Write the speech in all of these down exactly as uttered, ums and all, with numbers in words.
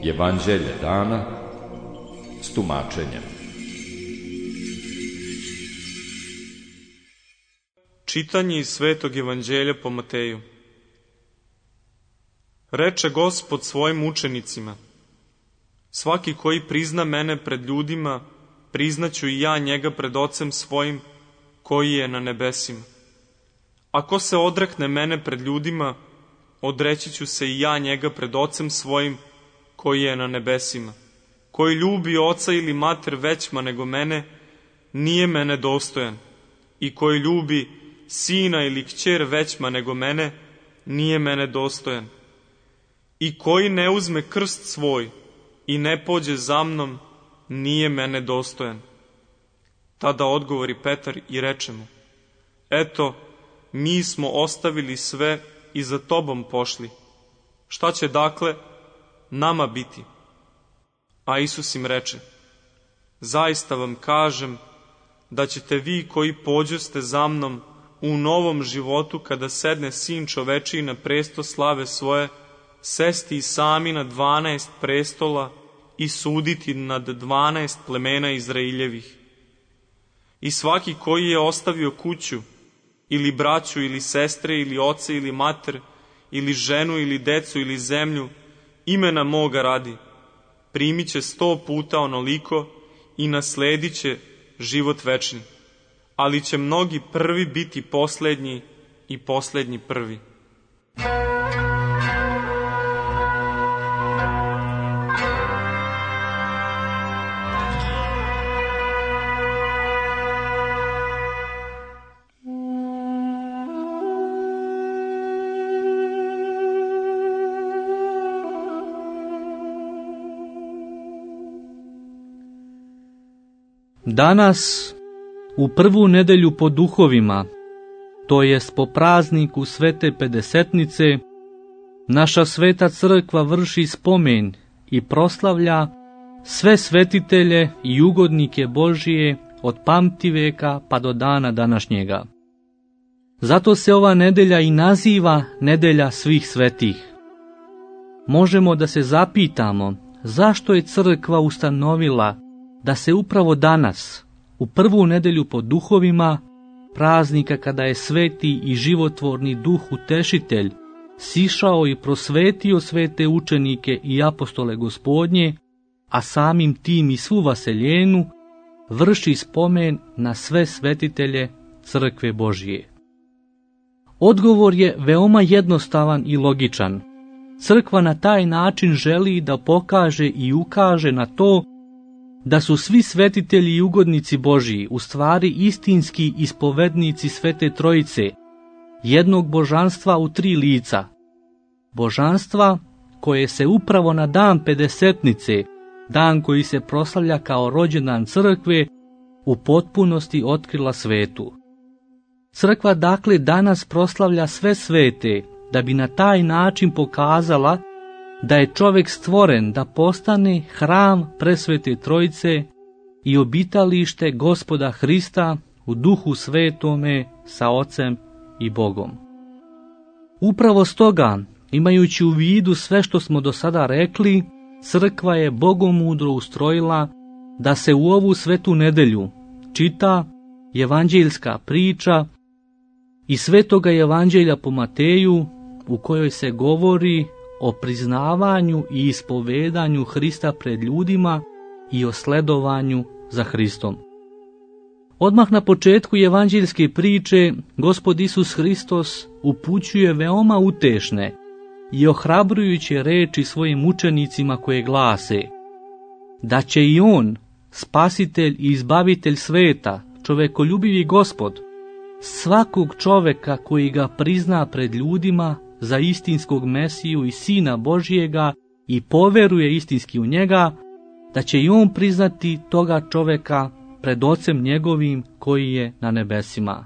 Evanđelje dana s tumačenjem. Čitanje iz Svetog Evanđelja po Mateju. Reče Gospod svojim učenicima: svaki koji prizna mene pred ljudima, priznaću i ja njega pred Ocem svojim koji je na nebesima. Ako se odrekne mene pred ljudima, odreći ću se i ja njega pred Ocem svojim koji je na nebesima. Koji ljubi oca ili mater većma nego mene, nije mene dostojan. I koji ljubi sina ili kćer većma nego mene, nije mene dostojan. I koji ne uzme krst svoj i ne pođe za mnom, nije mene dostojan. Tada odgovori Petar i reče mu: eto, mi smo ostavili sve i za tobom pošli. Šta će dakle nama biti? A Isus im reče: zaista vam kažem da ćete vi koji pođoste za mnom u novom životu, kada sedne Sin čovečiji na presto slave svoje, sesti i sami na dvanaest prestola i suditi nad dvanaest plemena Izraeljevih. I svaki koji je ostavio kuću, ili braću, ili sestre, ili oce, ili mater, ili ženu, ili decu, ili zemlju, imena moga radi, primit će sto puta onoliko i nasledit će život večni. Ali će mnogi prvi biti poslednji i poslednji prvi. Danas, u prvu nedelju po duhovima, to jest po prazniku Svete Pedesetnice, naša Sveta Crkva vrši spomen i proslavlja sve svetitelje i ugodnike Božije od pamtiveka pa do dana današnjega. Zato se ova nedelja i naziva Nedelja svih svetih. Možemo da se zapitamo zašto je Crkva ustanovila da se upravo danas, u prvu nedelju po duhovima, praznika kada je sveti i životvorni duh utešitelj sišao i prosvetio svete učenike i apostole Gospodnje, a samim tim i svu vaseljenu, vrši spomen na sve svetitelje Crkve Božije. Odgovor je veoma jednostavan i logičan. Crkva na taj način želi da pokaže i ukaže na to da su svi svetitelji i ugodnici Božiji u stvari istinski ispovednici Svete Trojice, jednog božanstva u tri lica. Božanstva koje se upravo na dan Pedesetnice, dan koji se proslavlja kao rođendan Crkve, u potpunosti otkrila svetu. Crkva dakle danas proslavlja sve svete, da bi na taj način pokazala da je čovjek stvoren da postane hram presvete Trojice i obitalište Gospoda Hrista u Duhu Svetome sa Ocem i Bogom. Upravo stoga, imajući u vidu sve što smo do sada rekli, Crkva je bogomudro ustrojila da se u ovu svetu nedelju čita evanđeljska priča iz Svetoga Evanđelja po Mateju, u kojoj se govori o priznavanju i ispovedanju Hrista pred ljudima i o sledovanju za Hristom. Odmah na početku evanđeljske priče Gospod Isus Hristos upućuje veoma utešne i ohrabrujuće reči svojim učenicima koje glase da će i On, spasitelj i izbavitelj sveta, čovekoljubivi Gospod, svakog čoveka koji ga prizna pred ljudima za istinskog Mesiju i Sina Božijega i poveruje istinski u njega, da će i on priznati toga čoveka pred Ocem njegovim koji je na nebesima.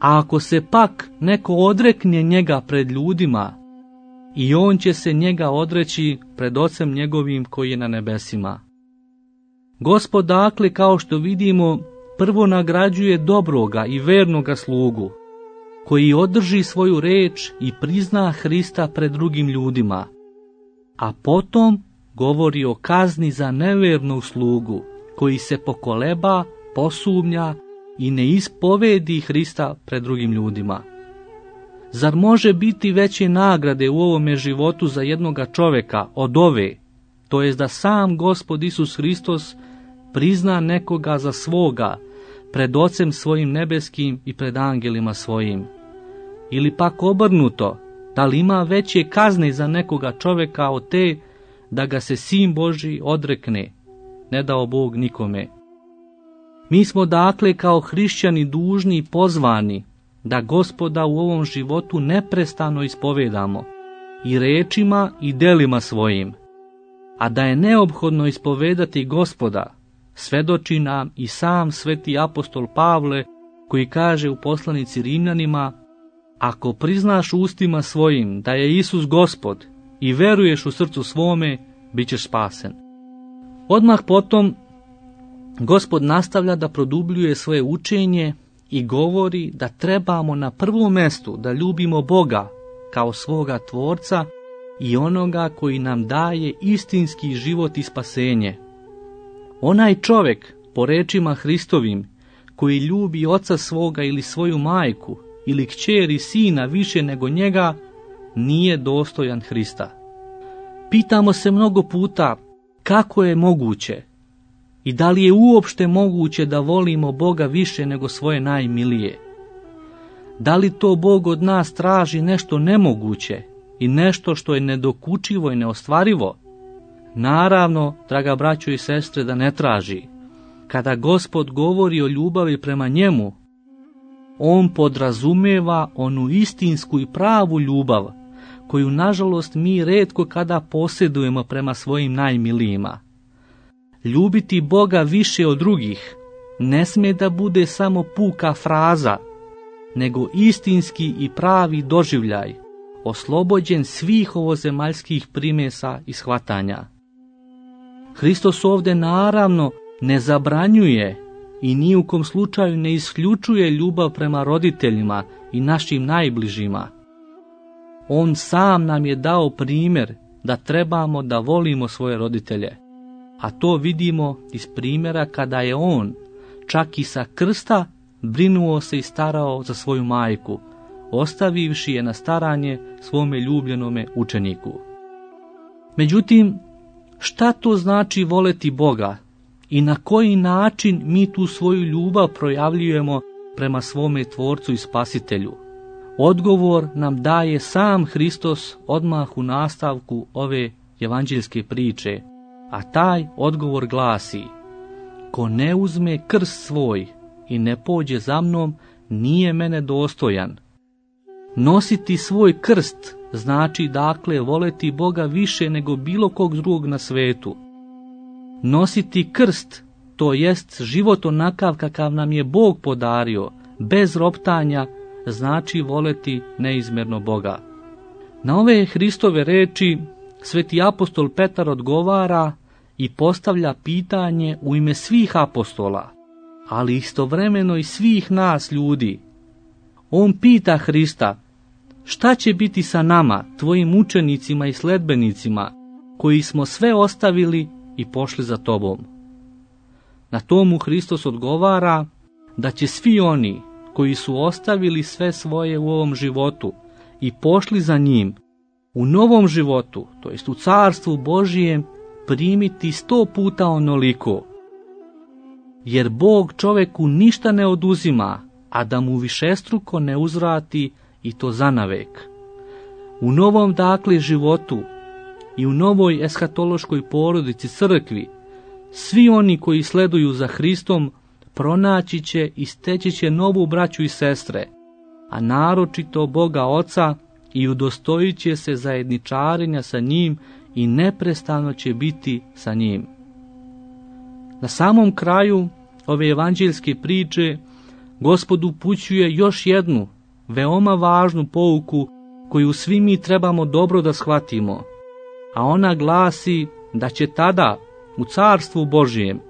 A ako se pak neko odrekne njega pred ljudima, i on će se njega odreći pred Ocem njegovim koji je na nebesima. Gospod dakle, kao što vidimo, prvo nagrađuje dobroga i vernoga slugu, koji održi svoju reč i prizna Hrista pred drugim ljudima, a potom govori o kazni za nevernu slugu, koji se pokoleba, posumnja i ne ispovedi Hrista pred drugim ljudima. Zar može biti veće nagrade u ovome životu za jednoga čoveka od ove, to jest da sam Gospod Isus Hristos prizna nekoga za svoga pred Ocem svojim nebeskim i pred angelima svojim? Ili pak obrnuto, da li ima veće kazne za nekoga čoveka od te da ga se Sin Božji odrekne, ne dao Bog nikome? Mi smo dakle kao hrišćani dužni i pozvani da Gospoda u ovom životu neprestano ispovedamo i rečima i delima svojim, a da je neophodno ispovedati Gospoda svedoči nam i sam sveti apostol Pavle, koji kaže u poslanici Rimljanima: ako priznaš ustima svojim da je Isus Gospod i veruješ u srcu svome, bit ćeš spasen. Odmah potom Gospod nastavlja da produbljuje svoje učenje i govori da trebamo na prvom mestu da ljubimo Boga kao svoga Tvorca i onoga koji nam daje istinski život i spasenje. Onaj čovjek, po rečima Hristovim, koji ljubi oca svoga ili svoju majku ili kćer i sina više nego njega, nije dostojan Hrista. Pitamo se mnogo puta kako je moguće i da li je uopšte moguće da volimo Boga više nego svoje najmilije. Da li to Bog od nas traži nešto nemoguće i nešto što je nedokučivo i neostvarivo? Naravno, draga braćo i sestre, da ne traži. Kada Gospod govori o ljubavi prema njemu, on podrazumeva onu istinsku i pravu ljubav, koju nažalost mi retko kada posjedujemo prema svojim najmilijima. Ljubiti Boga više od drugih ne smije da bude samo puka fraza, nego istinski i pravi doživljaj, oslobođen svih ovozemaljskih primesa i shvatanja. Hristos ovdje naravno ne zabranjuje i ni u kom slučaju ne isključuje ljubav prema roditeljima i našim najbližima. On sam nam je dao primjer da trebamo da volimo svoje roditelje, a to vidimo iz primjera kada je on, čak i sa krsta, brinuo se i starao za svoju majku, ostavivši je na staranje svome ljubljenome učeniku. Međutim, šta to znači voleti Boga i na koji način mi tu svoju ljubav projavljujemo prema svome Tvorcu i Spasitelju? Odgovor nam daje sam Hristos odmah u nastavku ove evanđeljske priče, a taj odgovor glasi: ko ne uzme krst svoj i ne pođe za mnom, nije mene dostojan. Nositi svoj krst znači dakle voleti Boga više nego bilo kog drugog na svetu. Nositi krst, to jest život onakav kakav nam je Bog podario, bez roptanja, znači voleti neizmjerno Boga. Na ove Hristove reči sveti apostol Petar odgovara i postavlja pitanje u ime svih apostola, ali istovremeno i svih nas ljudi. On pita Hrista: šta će biti sa nama, tvojim učenicima i sledbenicima, koji smo sve ostavili i pošli za tobom? Na tomu Hristos odgovara da će svi oni koji su ostavili sve svoje u ovom životu i pošli za njim, u novom životu, to jest u carstvu Božijem, primiti sto puta onoliko. Jer Bog čoveku ništa ne oduzima, a da mu višestruko ne uzvrati, i to zanavek. U novom dakle životu i u novoj eshatološkoj porodici crkvi, svi oni koji sleduju za Hristom pronaći će i steći će novu braću i sestre, a naročito Boga Oca, i udostojit će se zajedničarenja sa njim i neprestano će biti sa njim. Na samom kraju ove evanđeljske priče Gospod upućuje još jednu veoma važnu pouku koju svi mi trebamo dobro da shvatimo, a ona glasi da će tada u carstvu Božijem,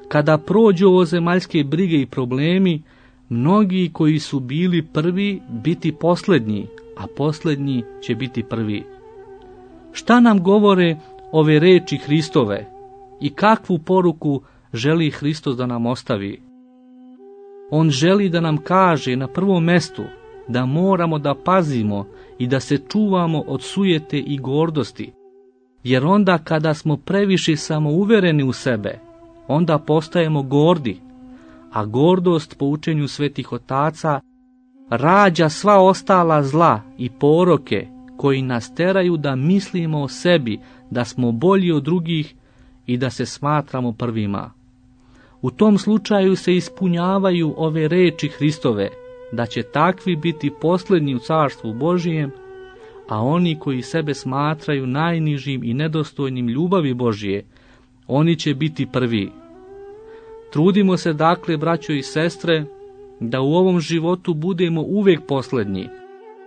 kada prođu ovozemaljske brige i problemi, mnogi koji su bili prvi biti posljednji, a posljednji će biti prvi. Šta nam govore ove reči Hristove i kakvu poruku želi Hristos da nam ostavi? On želi da nam kaže na prvom mestu da moramo da pazimo i da se čuvamo od sujete i gordosti, jer onda kada smo previše samouvereni u sebe, onda postajemo gordi, a gordost po učenju svetih otaca rađa sva ostala zla i poroke koji nas teraju da mislimo o sebi da smo bolji od drugih i da se smatramo prvima. U tom slučaju se ispunjavaju ove reči Hristove, da će takvi biti posljednji u carstvu Božijem, a oni koji sebe smatraju najnižim i nedostojnim ljubavi Božije, oni će biti prvi. Trudimo se dakle, braćo i sestre, da u ovom životu budemo uvijek posljednji,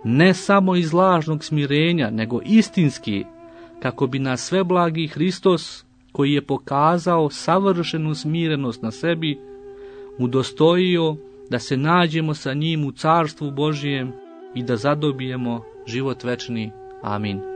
ne samo iz lažnog smirenja, nego istinski, kako bi nas sveblagi Hristos, koji je pokazao savršenu smirenost na sebi, udostojio da se nađemo sa njim u carstvu Božijem i da zadobijemo život večni. Amin.